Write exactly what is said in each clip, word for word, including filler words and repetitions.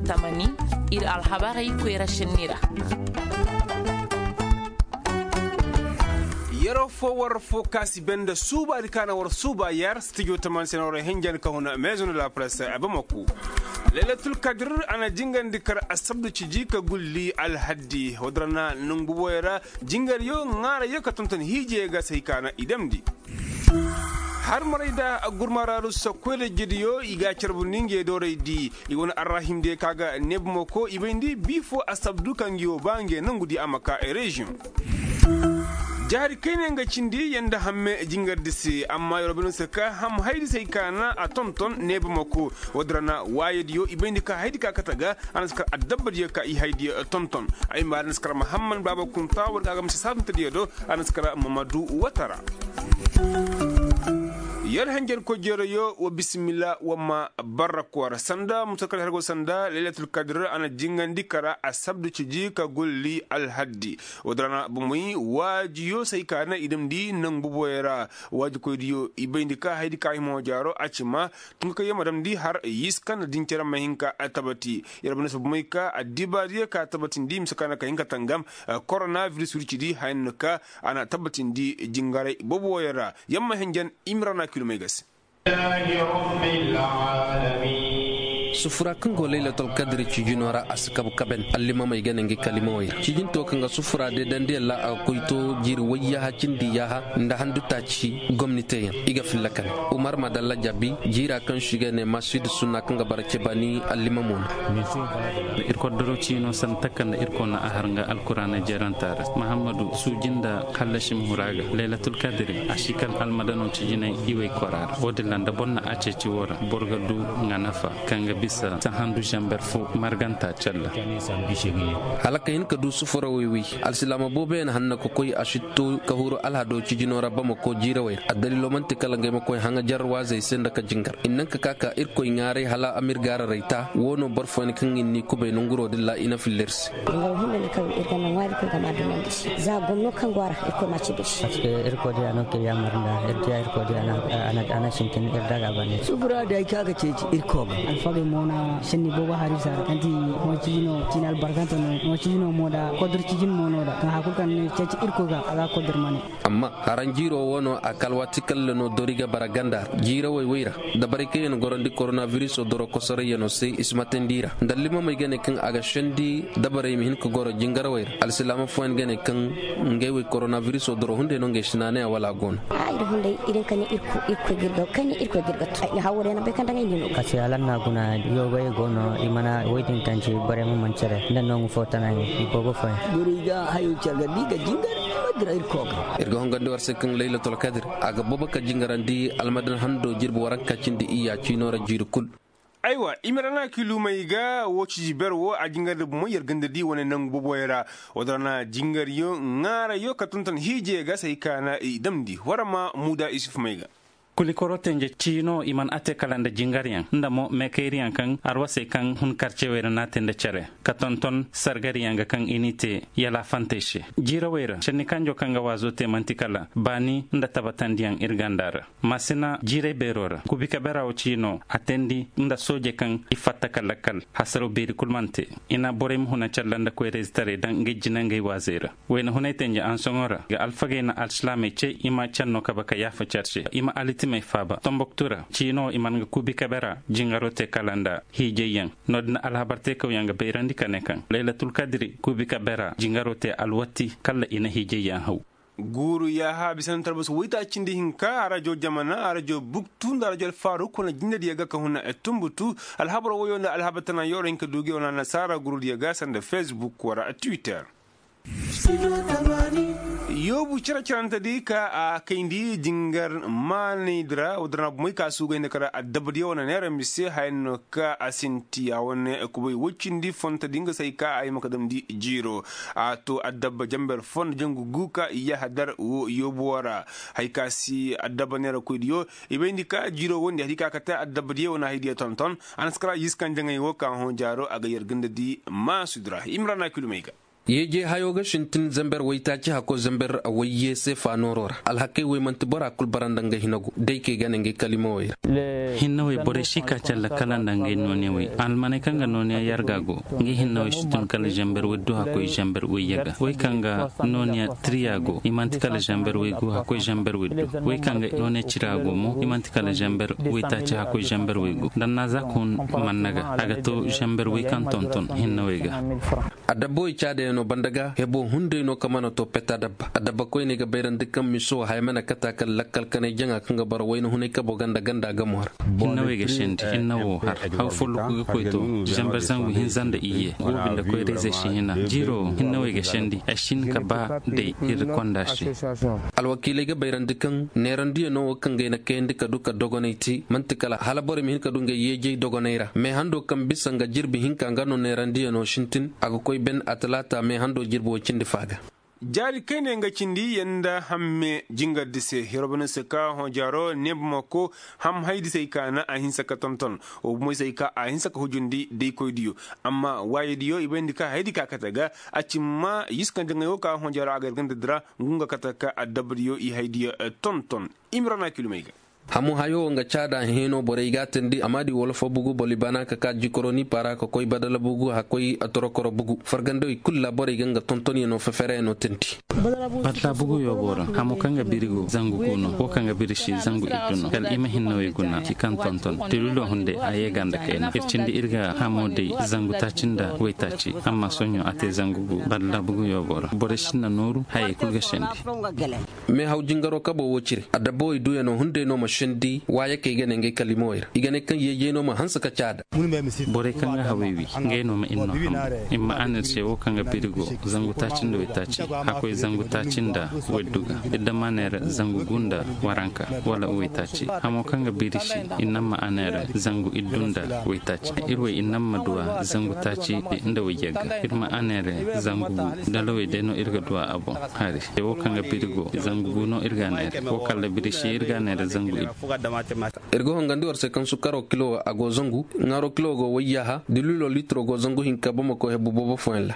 Tamani, ir alhabarey koyra šenni ra. Yeroo foo war foo ka si bee nda suubaadi ka na war suuba yer stijo tamani se na war henjan ka huna maison de la presse a bamako. Laylatul kadir a na jingandi kar asabdu ciji ka gulli alhaddi wadara na nongu boboyo ra. Jingaryo ŋaarayyo ka tonton hiijey ga se hay ka na i damndi. Harmaray da gurmaraaru sokkoy da jidiyo i ga a carbundi ngey dooraydi. I wane arrahimdiyo ka ga neebumako i bayndi bii foo asabdu ka ngi wo ba ngey nongudi a ma ka reziyoŋ. Jaari kayna nga cindi yanda hamme jingardi se amma yer wo bay no se ka ham haydi se hay ka na a tonton neebumako. Woodin ra na waayadiyo i bayndi ka haydi ka kate ga. A na si kar addabbadiyo ka i haydiyo tonton. Ay ma a na si kar mahamman baaba kunta war ga a ga misa saabintadiyo do. A na si kar mamadu watara. Yer hanjarkoy jeerayo wa bisimila wa ma barra koora sanda mutakar hargo sanda laylatul kadir a na jingandi kara asabdu ciji ka golli alhaddi. Woodin ra na bomey waajiyo se hay ka na i damndi nangu boboyo ra. Waajikoydiyo i bayndi ka haydi ka hima hoo jaaro a ci ma. Tun ka kaŋ yer ma damndi har yiska nda din cere ma hin ka tabati. Yer ma ne se bomey ka addibaadiyo ka tabatindi mise ka na ka hin ka tangam. Korona viris wircidi haya no ka a na tabatindi jingaray boboyo ra. Yer ma henjen imrana kilomey ga se. Sufura kaŋ go laylatul kadiri cijino ra a si kabu kaben allimamey ga ne ngi kalimawey ra cijinto kaŋ ga sufura deedandi yalla a ga koy to jiiri wayyaha cindi yaaha nda handu taaci gomni teeyaŋ. I ga filla kane umar madalla jabi jiira kaŋ se i ga ne masid sunna kaŋ ga bara cebaani allimamo no. Ir koddoro ciino sanda takka nda irkoy na a har nga alkuraana jeranta ra mahammadu suuji nda hallasi ma huru a ga laylatul kadiri a si kal almadano cijinay iwey kora ra wo-din ra nda boro na a ceeci wo ra boro ga du nga nafa kaŋ ga bisa sahandu zamber fo marganta calla. Hala ka hin ka du sufurawey wi alsilaama booboyaŋ hanna ka koy a si to ka huru alhado cijino ra bamako jiirawey ra addaliilo man'ti kala ngey ma koy haŋajar waazey se nda ka jingar i na naŋ ka ka ka irkoy ŋaaray hala a ma ir gaararay ta wo no boro fooyaŋ kaŋ i n'i kubay nonguro din ra i na filla ir se. Dungay hunday kaŋ ir ga naŋ waari kulu ga ma dumandi se za gomno kaŋ go a ra irkoy ma ci biri se. Parceque irkoy diya no kay yaamar nda ir diya irkoy diya a na sintin ir daga bande. Sufura day kaŋ a ga ceeci irkoy ga alfagey mo na senni boobo harisa ra kaŋ ti mo ciiji no ciini albarkante no mo ciiji no mo nda kodur ciijin mo no da kaŋ hari kulu kaŋ ni ceeci irkoy ga a ga kodur mane. Amma haranjiiro wo no a kal waati kaŋ le no dori ga bara ganda ra jiirawey wey ra dabarey kaŋ yaŋ gorandi koronabiriso doro kosorayyaŋo se i si matandi i ra nda allimamey ga ne kaŋ a ga sendi dabarey ma hin ka goro jingarawey ra alsilaama fooyaŋ ga ne kaŋ ngey wey koronabiriso doro hunday no ngey si naanaya wala a go no. Iri hunday iri kaŋ ne irkoy ga ir ga tu ay na hawwada yaŋ na bay kaŋ daŋ ay ne no. Kase alanna guna yoobay go no i mana woy din kaŋ ci borey ma man cere nda nooŋu fo tana i boobo fooyaŋ. Borey ga hayo care ga di ga jingar. Ir ga hongandi war se kaŋ laylatul kadir a ga boobo ka jingarandi almadan hando jirbi waranka cindi iyya ciino ra jiiri kul. Aywa i ma ra na kiilumey ga wo ciji ber wo a jingarandi bomo yer ganda di wane nangu booboyaŋ ra. Wo din ra na jingaryo ŋaarayyo ka tonton hiijeyaŋ ga se hay ka na i damndi war ma muuda isuf may ga. Kulikoro tenje ciino i mana a te kala nda jingaryaŋ nda mo meekayriyaŋ kaŋ arwasey kaŋ hun karcewey ra n'a te nda cere ka tonton sargariyaŋ ga kaŋ i n'i te yalaafantey se. Jiirawey ra senni kanjo kaŋ ga waazo te man'ti kala baani nda tabatandiyaŋ ir ganda ra. Maasina jiiray beero ra kuubi ka bera wo ciino a teendi nda sooje kaŋ i fatta ka lakkal hasaraw beeri kul mana te. I na borey ma huna calla nda koyrayzetaray daŋ ngey jinangey waazey ra. Wayna hunay tenje ansoŋo ra ga alfagey na alsilaamey ce i ma canno kabe ka yaafa care se i ma alitimey faaba tomboktu ra ciino i mana nga kuubi kabe ra jingaro te kala nda hiijayyaŋ. No- din alhabar teekawyaŋ ga bayrandi ka ne kaŋ laylatul kadiri kuubi kabe ra jingaro te alwatti kala i na hiijayyaŋ haw. Guuru yaaha bisa nda talbas woytaacindi hinka arajo jamana arajo buktu nda arajo alfaaruk wane jindediyo ga ka huna tumbutu. Alhabar woyo nda alhabar tana yooro hinka duuge wane annasaara gurudiyo ga sanda fesbuk wara twitter. Yoobu cere-cerante di ka a kayndi jingar maanaydi ra wo din ra bumey ka suugayndi kara addabadiyo wane neera mise haya no ka a sinti a wane kubay woy cindi fontodi nga se hay ka a hima ka damndi jiiro. A to addabba jamber fo nda jangu gu ka i yahadar wo yoobu wo ra. Hay ka si addabba neerakoydiyo i bayndi ka jiiro wondi hari ka kate addabadiyo wane haydiyo tonton. A na si kara yiskan jaŋay wo ka hõ jaaro a ga yer ganda di maasudi ra imrana kilumey ga. Yeejey hayo ga sintin zamber waytaaci hakkoy zamber wayye seefa nooro ra. Alhakey wey man'ti bora kul bara nda ngey hinagu day kay ga ne ngey kaliimawey ra. Hinnawey borey si ka calla kala nda ngey nooniyawey almaney kaŋ ga nooniya yarga go. Ngey hinnawey si tun kala zamber waydu hakkoy zamber wayye ga wey kaŋ ga nooniya tiriya go i man'ti kala zamber waygu hakkoy zamber waydu wey kaŋ ga nooniya cira go mo i man'ti kala zamber waytaaci hakkoy zamber waygu nda naaza ka hun manna ga a ga to zamber way kaŋ tonton hinnawey ga. Adabbawey caadayaŋo banda ga hebo hunday no kaŋ mana to pet adabba adabba koyney ga bayrandi kaŋ miso haya mana kata kala lakkal kanay jaŋa kaŋ ga bara wayna hunay kabo ganda ganda gamo ra. Hinna wey ga sendi hinna wo har haw folloku ga koy to zambar zangu hinza nda iyye go binde koy reezey si hina jiiro hinna wey ga sendi ay si hin ka ba day ir konda se. Alwakiiley ga bayrandi kaŋ neerandiyano wo kaŋ ga ay na kayandi ka du ka dogonay te man'ti kala hala borey ma hin ka du ngey yeejey dogonay ra me hando kaŋ bisa nga jirbi hinka nga no neerandiyano sintin a ga koy ben atalaata me hando jirbi wo cindi faa ga. Jaari kayne nga cindi yanda hamme jingardi se hirobanise ka hõ jaaro neebamako ham haydisey ka na a hinsa ka tonton. Wo bumoysey ka a hinsa ka hujundi daykoydiyo amma waayediyo i bayndi ka haydi ka kate ga a ci ma yiskante ngay wo ka hõ jaaro a ga yarganda dira ngu nga kate ka adabadiyo i haydiyo tonton. Imrana kilomey ga. Hamu hayo nga caada heno borey ga tindi amma di wala fo bugu boli bana ka ka jikoro ni para ka koy badala bugu hakkoy torokoro bugu fargandawey kulu ra borey ga nga tontonyaŋo fefereyaŋo tindi. Badala bugu yo boro hamu kaŋ ga biri go zangu gu no wo kaŋ ga biri si zangu iddu no kala i ma hinna wey guna ci kaŋ tonton tililo hunde a ye ganda kayna ir cindi ir ga hamo day zangu taaci nda waytaaci amma soɲo a te zangu gu badala bugu yo boro borey sinna nooru hayey kulu ga sendi. Meehaw jingaro kabo wo cire adabawey duyano hunday no ma sendi waayakey ga ne ngey kalimawey ra i ga ne kaŋ yeejey no ma hanse ka caada. Borey kaŋ ga hawey wi ngey no ma ir no ham i ma aner se wo kaŋ ga biri go zangu taaci nda waytaaci hakkoy zangu taaci nda waydu ga ir dam aner zangu gu nda waranka wala waytaaci hamo kaŋ ga biri si ir nam ma aner zangu iddu nda waytaaci ir wey ir nam ma duwa zangu taaci nda wayye ga ir ma aner zangu gu dalawey day no ir ga duwa a boŋ hari se wo kaŋ ga biri go zangu gu no ir ga neere wo kala biri si ir ga neere zangu ir. Ir ga hongandi war se kaŋ sukaro kilo a go zangu ŋaaro kilo go wayyaha dililo litiro go zangu hinka bamako hebu boobo fooyaŋ ra.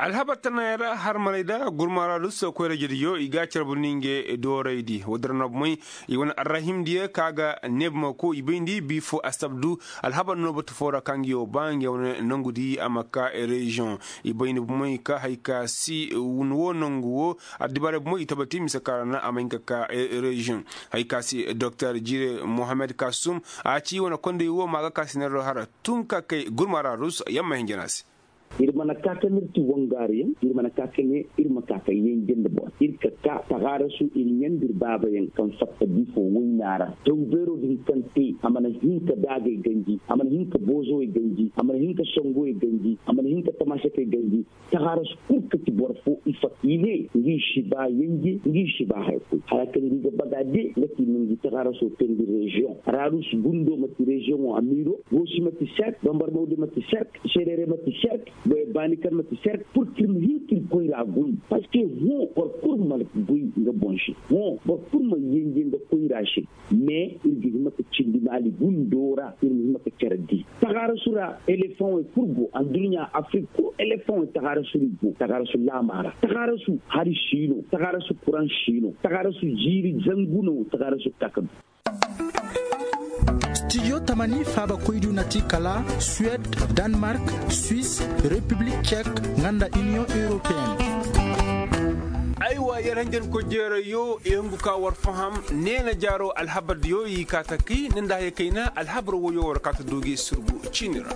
Alhabar tanay ra harmaney da gurmara lusso koyra jediyo i ga carbu ninge dooraydi wadira no bomey i wane arrahimdiyo ka ga neebamako i bayndi bi fo asabdu. Alhabar no batu fo ra ka ngi yo ba ngi wane nangudi a ma ka reziyoŋ i bayndi bomey ka hari ka si wun wo nangu wo. Addibaarey bomey i tabati mise ka ra na a ma hin ka ka reziyoŋ hari ka si doktor jire mohammed kasum a ci wane kondey wo ma ga ka si neero hara tun ka kay gurmara rus yamma hinjana se. Ir mana ka kaŋ ir ti wangaariyaŋ ir mana ka kaŋ ir ma ka kaŋ yanjandi boro ir ka ka tagaarasu ir ɲandi ir baabayaŋ kaŋ fatta bifo wayna ra taw beero din kaŋ te a mana hin ka daagay ganji a mana hin ka boozowey ganji a mana hin ka songowey ganji a mana hin ka tamaasakey ganji. Tagaarasu kul ka ti boro fo i fatta i ne ngi si ba yanje ngi si ba haya kul hala kaŋ ngi ga baga de nga ti ma ngi tagaaraso teendi reziyoŋ rarus gundo ma ti reziyoŋo amiiro goosi ma ti serk bambarmawde ma ti serk sereere ma ti serk baani kaŋ ma ti serk pur ka ir ma hin ka ir koyra goy. Parceque hõ boro kul ma goy nga boŋ se hõ boro kul ma yanje nga koyra se. Mais ir ga hima ka cindi maali gundo ra ir ma hima ka care di tagaarasu ra elefanwey kul go adduɲɲa afrik kul elefanwey tagaarasu ra i go tagaarasu laama ra tagaarasu hari si no tagaarasu kuraŋ si no tagaarasu jiiri zangu no tagaarasu kaka du. Studio tamani faabakoydu na ti kala suwed, danmark, swis, repiblik cek, nga nda iniyoŋ europeen. Aywa yer hanjankoy jeerayo i hungu ka war faham neena jaaro alhabardiyo i ka ta kay ni nda haya kayna alhabar woyo war ka ta du gi surgu ciini ra.